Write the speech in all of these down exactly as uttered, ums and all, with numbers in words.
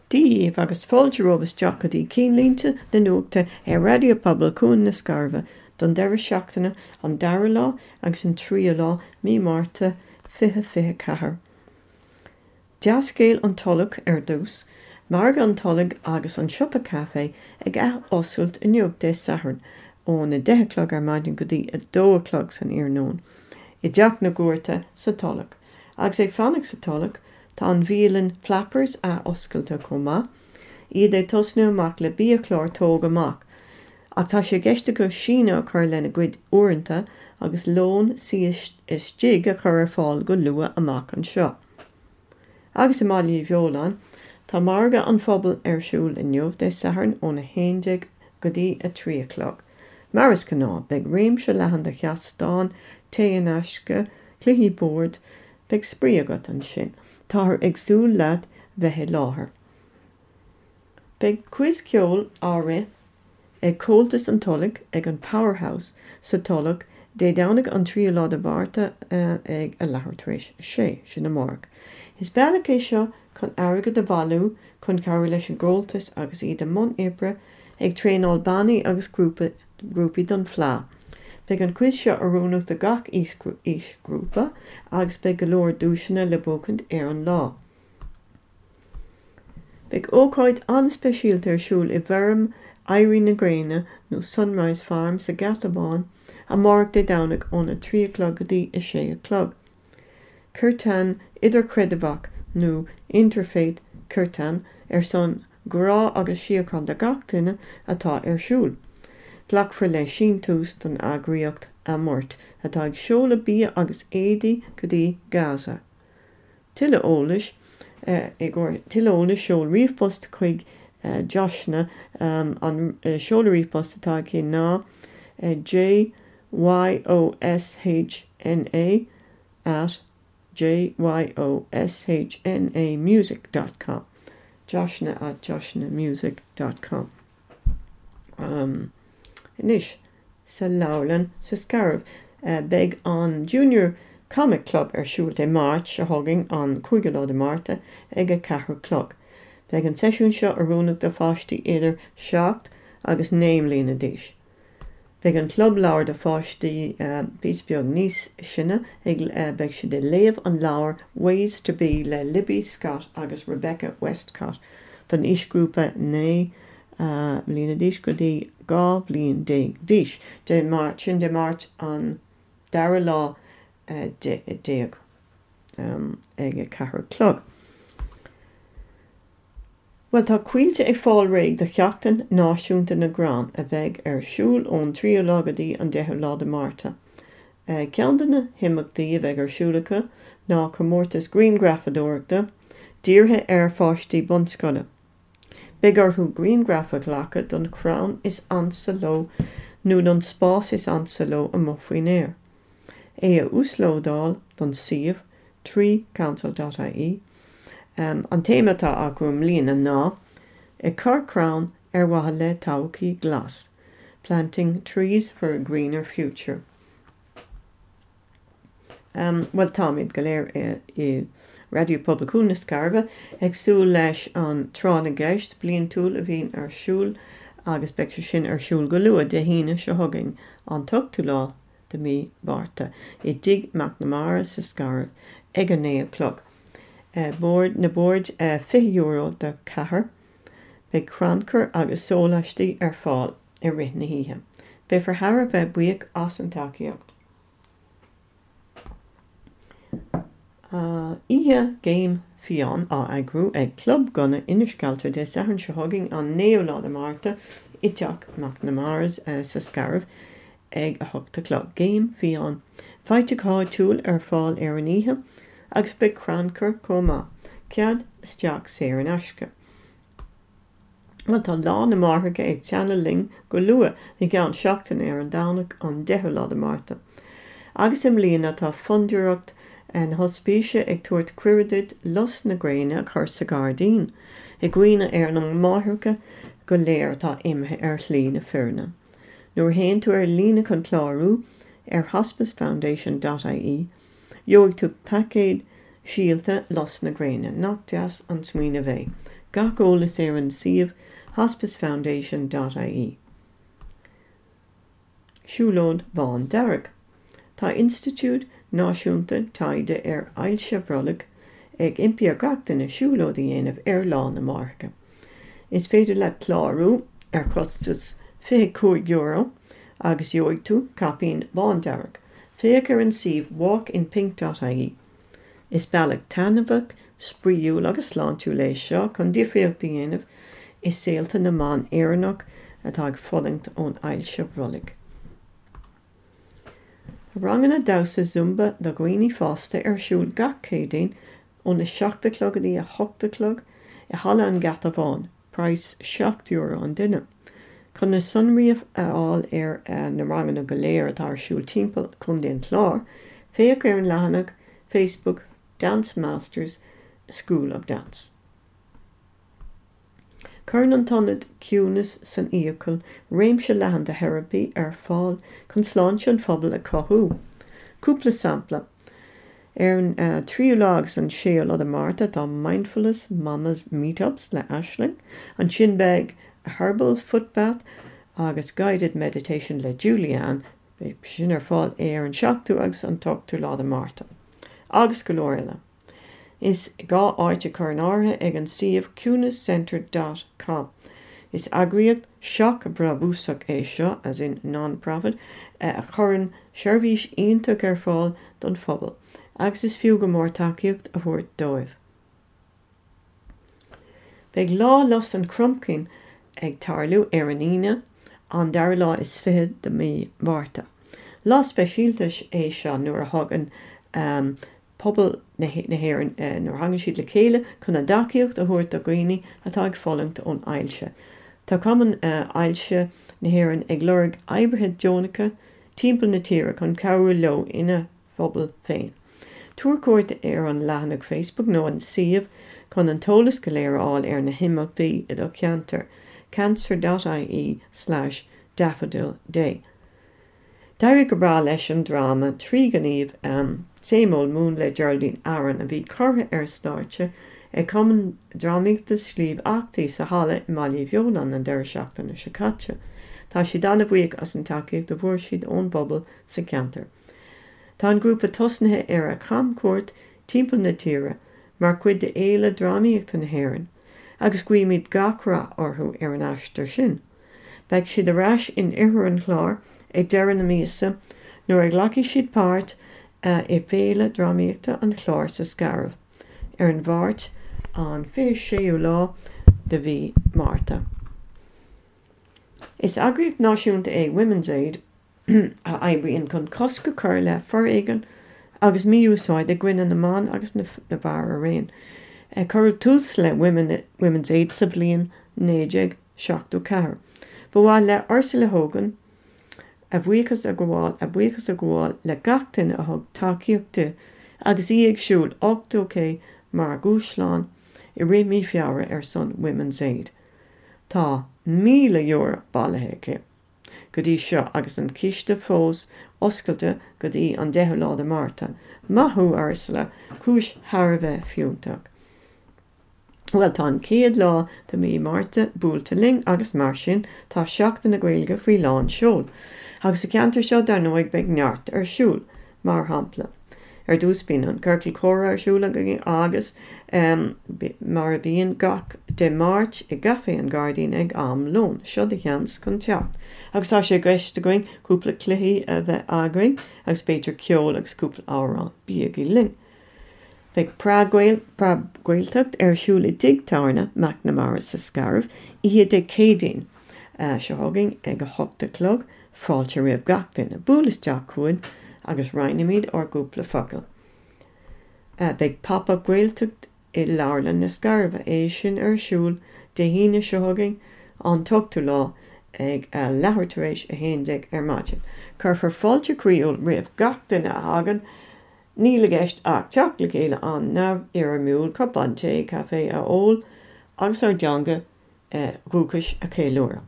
Dia daoibh agus fáilte romhaibh isteach go dtí Cinnlínte na Nuachta ar Raidió Pobail Cuan na Scairbhe don deireadh seachtaine an dara lá agus an tríú lá mí Márta fiche fiche ceathair. Dea-scéal an Tulach ar dtús, Margadh an Tulaigh agus an Siopa Caife ag athoscailt inniu Dé Sathairn ón a deich a chlog ar maidin go dtí a dó a chlog san iarnóin i dTeach na gCuairte sa Tulach. Agus ag fanacht sa Tulach, tá an bhialann Flappers athoscailte chomh maith, iad ag tosnú amach le biachlár tóg amach, ach tá sé i gceist acu síneadh a chur lena gcuid uaireanta agus lón suí istigh a chur ar fáil go luath amach anseo. Agus i mBaile Uí Bheoláin, tá margadh an phobail ar siúl inniu Dé Sathairn óna haon déag go dtí a trí a chlog. Mar is gnáth, beidh réimse leathan de sheastáin, tae in aisce, cluichí boird, beidh spraoi agat ansin. Táthar ag súil leat bheith i láthair. Beidh quiz ceoil á rith ag Comhaltas an Tulaigh ag an Powerhouse sa Tulach Dé Domhnaigh an tríú lá de Mhárta ag a leathuair tar éis a sé, sin amárach. Is bealach é seo chun airgead a bhailiú chun cabhrú leis an gComhaltas agus iad i mbun oibre ag traenáil bannaí agus grúpaí don Fleadh. Beidh an quiz seo oiriúnach do gach aoisghrúpa agus beidh go leor duaiseanna le buachaint ar an lá. Beidh ócáid an-speisialta ar siúl i bhfeirm Éirí na Gréine nó Sunrise Farm sa Gheata Bán amárach Dé Domhnaigh óna trí a chlog go dtí a sé a chlog. Kirtan idirchreidmheach nó Interfaith Kirtan ar son grá agus síocháin do gach duine atá ar siúl. Glacfar le síntiús don eagraíocht Amort atá ag seoladh bia agus éadaí go dtí Gaza. Tuilleadh eolais i gcomhair tuilleadh eolais seol ríomhphost chuig Joshna an seoladh ríomhphost atá aici ná J Y O S H N A at J Y O S H N A music dot com Joshna at joshnamusic dot com um, Anois sa leabharlann sa Scairbh beidh an Junior Comic Club ar siúl Dé Máirt seo chugainn an cúigiú lá de Márta ag a ceathair a chlog. Beidh an seisiún seo oiriúnach do pháistí idir seacht agus naoi mbliana d'aois. Beidh an club leabhar do pháistí píosa beag níos sine ag beidh siad ag léamh an leabhar Ways to Be le Libby Scott agus Rebecca Westcott don aoisghrúpa naoi mbliana d'aois go dtí dhá bhliain déag d'aois. Dé Máirt sin Dé Máirt an dara lá déag ag a ceathair a chlog. Bhuel tá Coillte ag fáil réidh do Sheachtain Náisiúnta na gCrann a bheidh ar siúl ón tríú lá go dtí an deichiú lá de Márta. Ceann de na himeachtaí a bheidh ar siúl acu ná comórtas grianghrafadóireachta dírithe ar pháistí bunscoile. Beidh orthu grianghraf a ghlacadh don chrann is ansa leo nó don spás is ansa leo amuigh faoin aer. É a uaslódáil don suíomh tree council dot ie. An téama atá acu i mbliana ná Ag cur crann ar mhaithe le todhchaí glas, Planting trees for a greener future. Bhuel táimid go léir i Raidió Pobail Chuan na Scairbhe ag súil leis an Tráth na gCeist bliantúil a bhíonn ar siúl agus beidh sé sin ar siúl go luath Dé hAoine seo chugainn, an t-ochtú lá de mhí Mhárta, i dTigh McNamara sa Scairbh ag a naoi a chlog. Bord na boird fiche euro do cheathrar. Beidh crannchur agus sóláistí ar fáil i rith na hoíche. Beifear thar a bheith buíoch as an tacaíocht. Oíche Géim Fiáin á eagrú ag Club Gunna Inis Cealtra Dé Sathairn seo chugainn an naoú lá de Márta i dTeach McNamara's sa Scairbh ag a hocht a chlog. Géim Fiáin faighte go háitiúil ar fáil ar an oíche agus beidh crannchur chomh maith. Cead isteach saor in aisce. Bhuel tá Lá na Máithreacha ag teannadh linn go luath i gceann seachtaine ar an Domhnach an deichiú lá de Márta. Agus i mbliana tá Fondúireacht na hOspíse ag tabhairt cuireadh duit lus na gréine a chur sa ghairdín, i gcuimhne ar na máithreacha go léir atá imithe ar shlí na fírinne. Nuair a théann tú ar líne chun clárú ar hospice foundation dot ie, gheobhaidh tú paicéad síolta lus na gréine. Nach deas an smaoineamh é? Gach eolas ar an suíomh hospicefoundation.ie. Siúlóid Bhándearg. Tá Institiúid Náisiúnta Taighde ar Ailse Bhrollaigh ag impí ar gach duine siúlóid a dhéanamh ar Lá na Máithreacha. Is féidir leat clárú ar chostas fiche cúig euro agus gheobhaidh tú caipín bándearg. Féach ar an suíomh walkinpink.ie. Is bealach taitneamhach, spraíúil agus sláintiúil é seo chun difríocht a dhéanamh i saolta na mban Éireannach atá ag fulaingt ón ailse bhrollaigh. Ranganna damhsa Zumba do dhaoine fásta ar siúl gach Céadaoin óna seacht a chlog go dtí a hocht a chlog i Halla an Gheata Bháin, praghas seacht euro an duine. Chun na sonraí a fháil ar na ranganna go léir atá ar siúl timpeall Chontae an Chláir, féach ar an leathanach Facebook Dance Masters School of Dance. Cuireann an tIonad Ciúnas san Fhiacail réimse leathan de theiripí ar fáil chun sláinte an phobail a chothú. Cúpla sampla. Ar an uh, tríú lá agus an séú lá de Márta tá Mindfulness Mamas Meetups le Aisling, ansin beidh a Herbal Footbath agus Guided Meditation le Julianne, beidh sin ar fáil ar an seachtú agus an t-ochtú lá de Márta. Agus go leor eile. Is gá áit a chur in áirithe ag an suíomh ciúnascentre.com. Is eagraíocht seachbhrabúsach é seo as in non-profit a chuireann seirbhís iontach ar fáil don phobal, agus is fiú go mór tacaíocht a thabhairt dóibh. Beidh lá Lus an Chromchinn ag tarlú ar an Aoine an dara lá is fiche de mí Mhárta. Lá speisialta é seo nuair a thagann um, pobal na hÉireann eh, nuair a thagann siad le chéile chun a dtacaíocht a thabhairt do dhaoine atá ag fulaingt ón ailse. Tá Cumann uh, Ailse na hÉireann ag lorg oibrithe deonacha timpeall na tíre chun cabhrú leo ina phobal féin. Tabhair cuairt ar an leathanach Facebook nó an suíomh chun an t-eolas go léir a fháil ar na himeachtaí i do cheantar cancer.ie slash daffodil day. D'éirigh go breá leis an dráma trí ghníomh um, Same Old Moon le Geraldine Aaron a bhí curtha ar stáitse ag Cumann Drámaíochta Sliabh Eachtaí sa halla i mBaile Bheoláin an deireadh seachtaine seo caite. Tá siad an-bhuíoch as an tacaíocht a fuair siad ón bpobal sa cheantar. Tá an grúpa tosnaithe ar a chamchuairt timpeall na tíre mar chuid de Fhéile Drámaíochta na hÉireann, agus guímid gach rath orthu ar an aistear sin. Beidh siad ar ais in oirthear an Chláir ag deireadh na míosa nuair a ghlacfaidh siad páirt uh, i bhFéile Drámaíochta an Chláir sa Scairbh ar an Mháirt an fiche séú lá de mhí Márta. Is eagraíocht náisiúnta é Women's Aid a oibríonn chun cosc a chur le foréigean agus mí-úsáid i gcoinne na mban agus na bhfear araon. Cuireadh tús le Women, Women's Aid sa bhliain naoi déag seachtó ceathair. Ba mhaith le Ursula Hogan a bhuíochas a ghabháil a buíochas a ghabháil le gach duine a thug tacaíocht di agus í ag siúl ochtó K mar dhúshlán i rith mí Feabhra ar son Women's Aid. Tá míle euro bailithe aici go dtí seo agus an ciste fós oscailte go dtí an deichiú lá de Márta. Maith thú Ursula, cúis thar a bheith fiúntach. Well tá an chéad lá de mí Márta buailte linn agus mar sin tá Seachtain na Gaeilge faoi lán seol. Agus sa cheantar seo dar ndóigh beidh neart ar siúl, mar shampla. Ar dtús bíonn an ciorcal comhrá ar siúl agus um, mar a bhíonn gach Dé Máirt i gCaifé an Ghairdín ag am lóin, seo do sheans chun teacht. Agus tá sé i gceist againn cúpla cluichí a bheith againn agus b'fhéidir ceol agus cúpla amhrán bígí linn. Beidh Preab-Ghaeltacht ar siúl i dTigh Tábhairne McNamara sa Scairbh oíche Dé Céadaoin seo chugainn ag a hocht a chlog, fáilte roimh gach duine buail isteach chugainn agus roinnfimid ár gcúpla focal. Beidh Pop-up Gaeltacht i Leabharlann na Scairbhe é sin ar siúl Dé hAoine seo chugainn an t-ochtú lá ag leathuair tar éis a haon déag ar maidin. Cuirfear fáilte chroíúil roimh gach duine a thagann, níl i gceist ach teacht le chéile an neamhfhoirmiúil cupán tae caife a ól agus ár dteanga dhúchais a cheiliúradh.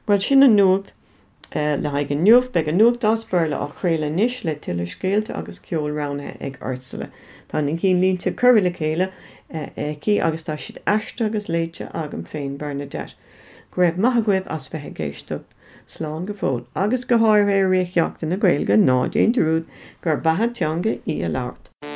Well sin an nuacht Le haghaidh inniu beidh an nuacht as Béarla á chraoladh anois le tuilleadh scéalta agus ceol roghnaithe ag Ursula. Tá na cinnlínte curtha le chéile aici agus tá siad aistrithe agus léite agam féin Bernadette. Go raibh maith agaibh as bheith ag éisteacht slán go fóill, agus go háirithe i rith Sheachtain na Gaeilge ná déan dearmad gur beatha teanga í a labhairt.